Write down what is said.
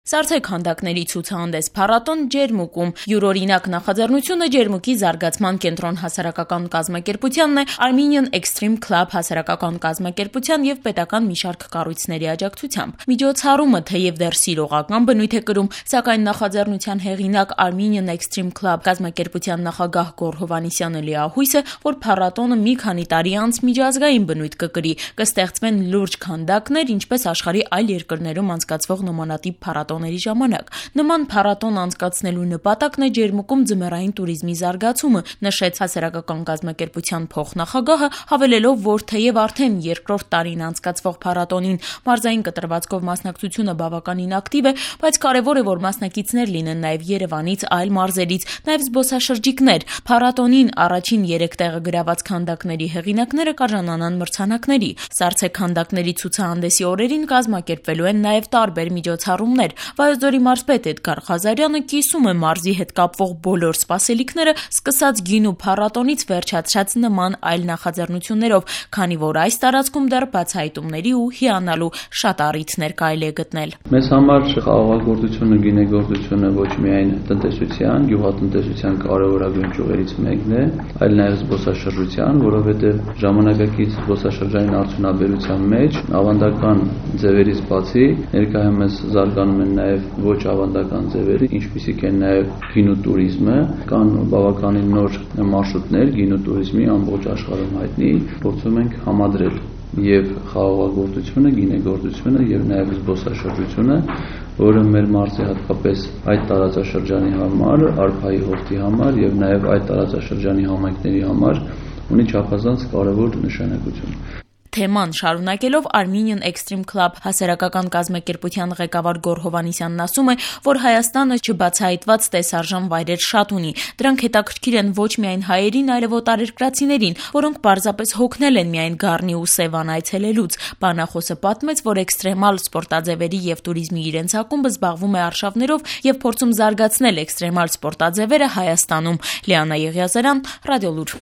Սառցե քանդակների ցուցահանդես փառատոն Ջերմուկում։ Յուրօրինակ նախաձեռնությունը Ջերմուկի զարգացման կենտրոն հասարակական կազմակերպությանն է, Armenian Extreme Club հասարակական կազմակերպության եւ պետական մի շարք կառույցների աջակցությամբ։ Միջոցառումը թեև դեռ սիրողական բնույթ է կրում, սակայն նախաձեռնության հեղինակ Armenian Extreme Club կազմակերպության նախագահ Գոռ Հովհաննիսյանը լիահույս է, որ փառատոնը մի քանի տարի անց միջազգային բնույթ կկրի, կստեղծվեն լուրջ քանդակներ, ինչպես աշխարհի այլ երկրներում անցկացվող նմանատիպ փառատոների ժամանակ։ Նման փառատոն անցկացնելու նպատակն է Ջերմուկում ձմեռային туриզմի զարգացումը, նշեց հասարակական կազմակերպության փոխնախագահը, հավելելով, որ թեև արդեն երկրորդ տարին անցկացվող փառատոնին մարզային կտրվածքով մասնակցությունը բավականին ակտիվ է, բայց կարևոր է, որ մասնակիցներ լինեն նաև Երևանից, այլ մարզերից, նաև զբոսաշրջիկներ։ Փառատոնին առաջին 3 տեղը գրաված քանդակների հեղինակները կարժանանան մրցանակների։ Սառցե քանդակների ցուցահանդեսի օրերին կազմակերպվելու են նաև տարբեր միջոցառումներ։ Վայոց ձորի մարզպետ Էդգար Ղազարյանը կիսում է մարզի հետ կապվող բոլոր սպասելիքները, սկսած գինու փառատոնից վերջացրած նման այլ նախաձեռնություններով, քանի որ այս տարածքում դեռ բացահայտումների ու հիանալու շատ առիթներ կարելի է գտնել։ Մեզ համար խաղաղագործությունը, գինեգործությունը ոչ միայն տնտեսության, գյուղատնտեսության կարևորագույն ճյուղերից մեկն է, այլ նաև զբոսաշրջության, որովհետև ժամանակակից զբոսաշրջային արդյունաբերության մեջ ավանդական ձևերից բացի ներկայումս զարգանում են նաև ոչ ավանդական ձևերը, ինչպիսիք են նաև գինու туриզմը, կան բավականին նոր մարշրուտներ գինու туриզմի ամբողջ աշխարհում հայտնի, փորձում ենք համադրել եւ խաղաղագործությունը, գինեգործությունը եւ նաև զբոսաշրջությունը, որը մեր մարզի հատկապես այդ տարածաշրջանի համար, արփայի հովտի համար եւ նաև այդ տարածաշրջանի համայնքների համար ունի չափազանց կարևոր նշանակություն։ Թեման շարունակելով Armenian Extreme Club հասարակական կազմակերպության ղեկավար Գոռ Հովհաննիսյանն ասում է, որ Հայաստանը չբացահայտված տեսարժան վայրեր շատ ունի։ Դրանք հետաքրքիր են ոչ միայն հայերին, այլև օտարերկրացիներին, որոնք պարզապես հոգնել են միայն Գառնի ու Սևան այցելելուց։ Բանախոսը պատմեց, որ էքստրեմալ սպորտաձևերի եւ туриզմի իրենց ակումբը զբաղվում է արշավներով եւ փորձում զարգացնել էքստրեմալ սպորտաձևերը Հայաստանում։ Լիանա Եղիազարյան, Ռադիոլուր։